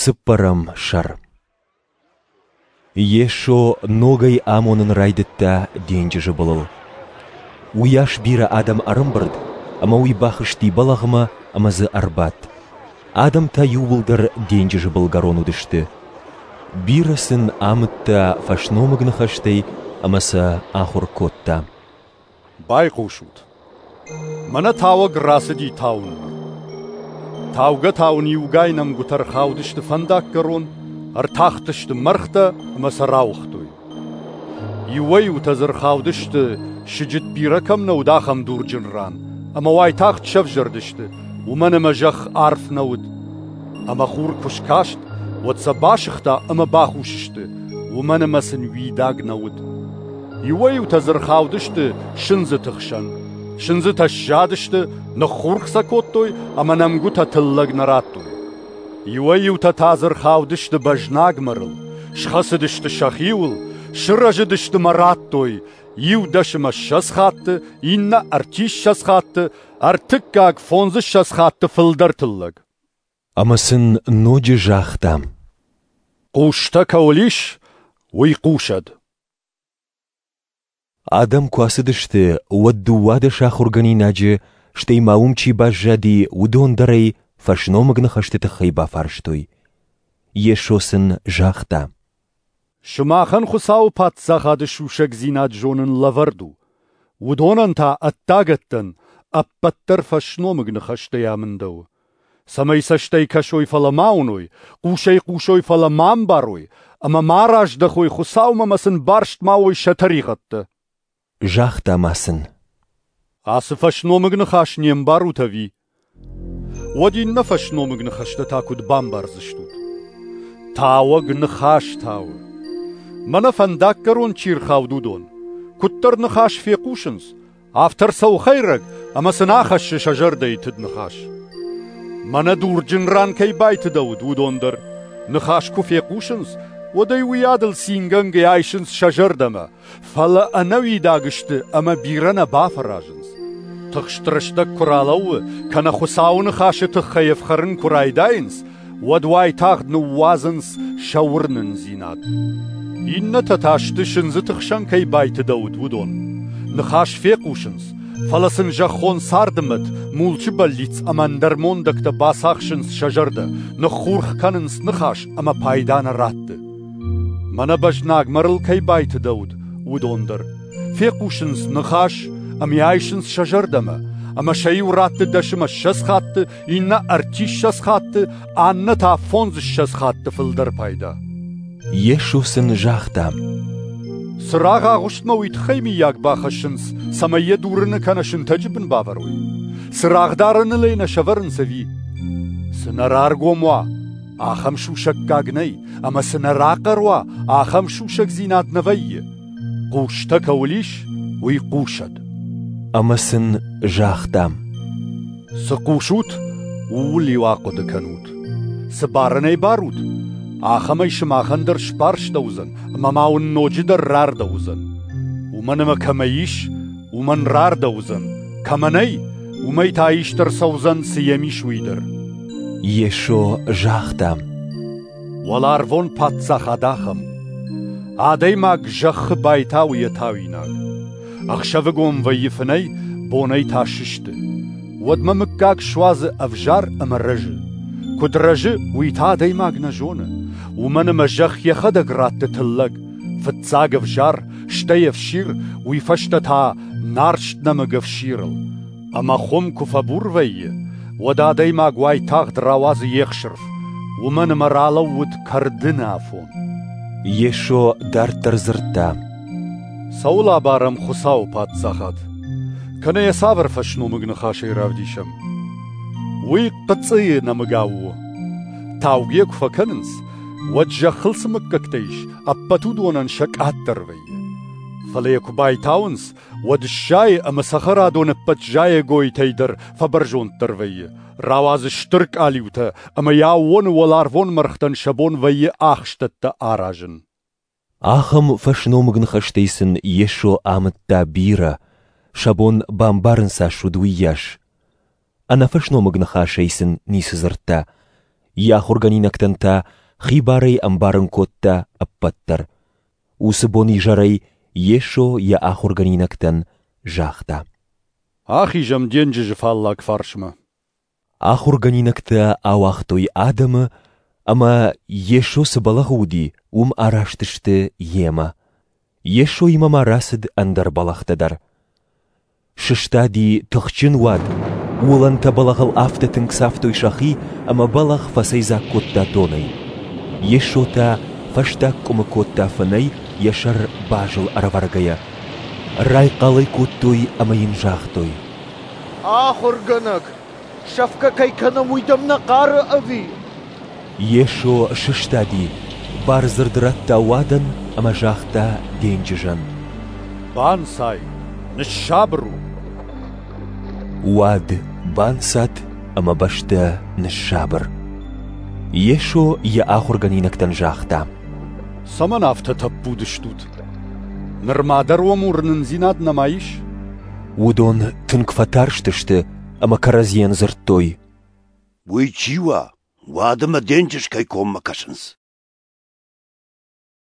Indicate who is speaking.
Speaker 1: Цыппӕрӕм сӕр. Йесо ногӕй амонын райдыдта денджызы былыл. Уыйас бирӕ адӕм ӕрӕмбырд, ӕмӕ уый бахызти бӕлӕгъмӕ ӕмӕ дзы ӕрбадт. Адӕм та иууылдӕр денджызы былгӕрон уыдысты. Бирӕ сын амыдта фӕсномыг ныхӕстӕй ӕмӕ сӕ ахуыр кодта.
Speaker 2: Байхъусут! Мӕнӕ тауӕг рацыди тауынмӕ. Таугӕ-тауын иугай нӕмгуытӕ рхаудысты фӕндаггӕрон, ӕртахтысты мӕргътӕ ӕмӕ сӕ рауыгътой. Иуӕй-иутӕ дзы рхаудысты, сыджыт бирӕ кӕм нӕ уыд, ахӕм дурджын ран, ӕмӕ уайтагъд сӕвзӕрдысты, уымӕн ӕмӕ зӕхх арф нӕ уыд. Ӕмӕ хур куы скаст, уӕд сӕ басыгъта ӕмӕ бахус сты, уымӕн ӕмӕ сын уидаг нӕ уыд. Иуӕй-иутӕ дзы рхаудысты сындзыты хсӕн. Сындзытӕ сзадысты, ныххурх сӕ кодтой ӕмӕ нӕмгуытӕ тыллӕг нӕ радтой. Иуӕй-иутӕ та дзы рхаудысты бӕзнаг мӕрыл, схӕцыдысты сӕхиуыл, сырӕзыдысты мӕ радтой иу 20 хатты, иннӕ 30 хатты, ӕртыккаг 25 хатты фылдӕр тыллӕг.
Speaker 1: Ӕмӕ сын ноджы загъта:
Speaker 2: Хъустӕ кӕуыл ис, уый хъусӕд.
Speaker 1: Адӕм куы ацыдысты, уӕд 12 ахуыргӕнинаджы, стӕй ма уым чи баззади, уыдон дӕр ӕй фӕсномыг ныхӕсты тыххӕй бафарстой. Йесо сын загъта:
Speaker 2: Сымахӕн Хуыцауы паддзахады сусӕгдзинад зонын лӕвӕрд у. Уыдонӕн та ӕддагӕттӕн ӕппӕт дӕр фӕсномыг ныхӕстӕй амындӕуы. Цӕмӕй цӕстӕй кӕсой, фӕлӕ ма уыной, хъусӕй хъусой, фӕлӕ ма ӕмбарой, ӕмӕ ма раздӕхой Хуыцаумӕ ӕмӕ сын барст ма уой сӕ тӕригъӕдтӕ.
Speaker 1: Загъта ма сын:
Speaker 2: Ацы фӕсномыг ныхас не мбарут ӕви? Уӕд иннӕ фӕсномыг ныхӕстӕ та куыд бамбардзыстут? Тауӕг ныхас тауы. Мӕнӕ фӕндаггӕрон чи рхауд, уыдон. Куыддӕр ныхас фехъусынц, афтӕ ӕрцӕуы хӕйрӕг ӕмӕ сын ахӕссы сӕ зӕрдӕйы тыд ныхас. Мӕнӕ дурджын ран кӕй байтыдӕуыд, уыдон дӕр. Ныхас куы фехъусынц, уӕд ӕй уыйадыл цингӕнгӕ айсынц сӕ зӕрдӕмӕ, фӕлӕ ӕнӕуидаг сты ӕмӕ бирӕ нӕ бафӕразынц. Тыхст рӕстӕг куы ралӕууы, кӕнӕ Хуыцауы ныхасы тыххӕй ӕфхӕрын куы райдайынц, уӕд уайтагъд ныууадзынц сӕ уырнындзинад. Иннӕтӕ та сты сындзыты хсӕн кӕй байтыдӕуыд, уыдон. Ныхас фехъусынц, фӕлӕ сын зӕххон царды мӕт, мулчы бӕллиц ӕмӕ ӕндӕр мондӕгтӕ бацахсынц сӕ зӕрдӕ, ныххурх кӕнынц ныхас ӕмӕ пайда нӕ ратты. Мӕнӕ бӕзнаг мӕрыл кӕй байтыдӕуыд, уыдон дӕр. Фехъусынц ныхас ӕмӕ айсынц сӕ зӕрдӕмӕ, ӕмӕ сӕ иу ратты 20 хатты, иннӕ 30 хатты, аннӕ та 25 хатты фылдӕр пайда.
Speaker 1: Йесо сын загъта:
Speaker 2: Цырагъ агъуыстмӕ уый тыххӕй миййаг бахӕссынц, цӕмӕй йӕ дурыны кӕнӕ сынтӕджы бын бавӕрой. Цырагъ дарыныл ӕй нӕ сӕвӕрынц ӕви? Цы нӕ раргом уа, ахӕм сусӕггаг нӕй, ӕмӕ цы нӕ рахъӕр уа, ахӕм сусӕгдзинад нӕ вӕййы. Хъустӕ кӕуыл ис, уый хъусӕд.
Speaker 1: Ӕмӕ сын загъта:
Speaker 2: Цы хъусут, ууыл-иу ахъуыды кӕнут. Цы барынӕй барут, ахӕмӕй сымахӕн дӕр сбарстӕуыдзӕн, ӕмӕ ма уын ноджыдӕр рардӕуыдзӕн. Уымӕн ӕмӕ кӕмӕ ис, уымӕн рардӕуыдзӕн, кӕмӕ нӕй, уымӕй та ист ӕрцӕудзӕн, цы йӕм ис, уый дӕр.
Speaker 1: Йесо загъта:
Speaker 2: Уӕларвон паддзахад ахӕм у. Адӕймаг зӕххы байтауы йӕ тауинаг. Ӕхсӕвыгон вӕййы фынӕй, бонӕй та сысты. Уӕдмӕ мыггаг суадзы ӕвзар ӕмӕ рӕзы. Куыд рӕзы, уый та адӕймаг нӕ зоны. Уымӕн ӕмӕ зӕхх йӕхӕдӕг ратты тыллӕг. Фыццаг ӕвзар, стӕй ӕфсир, уый фӕстӕ та нарст нӕмыг ӕфсирыл. Ӕмӕ хуым куы фӕбур вӕййы, уӕд адӕймаг уайтагъд рауадзы йе хсырф, уымӕн ӕмӕ ралӕууыд кӕрдыны афон.
Speaker 1: Йесо дарддӕр дзырдта:
Speaker 2: Цӕуыл абарӕм Хуыцауы паддзахад? Кӕнӕ йӕ цавӕр фӕсномыг ныхасӕй равдисӕм? Уый хъыцъыйы нӕмыгау у. Таугӕ куы фӕкӕнынц, уӕд зӕххыл цы мыггӕгтӕ ис, ӕппӕт уыдонӕн сӕ къаддӕр вӕййы. Фӕлӕ йӕ куы байтауынц, уӕд сзайы ӕмӕ цӕхӕрадон ӕппӕт зайӕгойтӕй дӕр фӕбӕрзонддӕр вӕййы, рауадзы стыр къалиутӕ ӕмӕ йӕ аууоны уӕларвон мӕргътӕн сӕ бон вӕййы ахстӕттӕ аразын.
Speaker 1: Ахӕм фӕсномыг ныхӕстӕй сын Йесо амыдта бирӕ, сӕ бон бамбарын цас уыд, уыйас. Ӕнӕфӕсномыг ныхасӕй сын ницы дзырдта. Йӕ ахуыргӕнинӕгтӕн та хибарӕй ӕмбарын кодта ӕппӕт дӕр. Уыцы бон изӕрӕй Йесо йӕ ахуыргӕнинӕгтӕн загъта:
Speaker 2: Ахизӕм денджызы фаллаг фарсмӕ.
Speaker 1: Ахуыргӕнинӕгтӕ ауагътой адӕмы ӕмӕ, Йесо цы бӕлӕгъы уыди, уым араст сты йемӕ. Йесоимӕ ма рацыд ӕндӕр бӕлӕгътӕ дӕр. Сыстади тыхджын уад, уылӕнтӕ бӕлӕгъыл афтӕ тынг цавтой сӕхи, ӕмӕ бӕлӕгъ фӕцӕйдзаг кодта донӕй. Йесо та фӕстаг къуымы кодта фынӕй, йӕ сӕр базыл ӕрӕвӕргӕйӕ. Райхъал ӕй кодтой ӕмӕ йын загътой:
Speaker 3: Ахуыргӕнӕг, сӕфгӕ кӕй кӕнӕм, уый дӕм нӕ хъары ӕви?
Speaker 1: Йесо сыстади, бардзырд радта уадӕн ӕмӕ загъта денджызӕн:
Speaker 2: Банцай, ныссабыр у!
Speaker 1: Уад банцад ӕмӕ бӕстӕ ныссабыр. Йесо йӕ ахуыргӕнинӕгтӕн загъта:
Speaker 2: Цӕмӕн афтӕ тӕппуд стут? Нырма дӕр уӕм уырнындзинад нӕма ис?
Speaker 1: Уыдон тынг фӕтарстысты ӕмӕ кӕрӕдзийӕн дзырдтой:
Speaker 4: Уый чи уа, уад ӕмӕ денджыз кӕй коммӕ кӕсынц?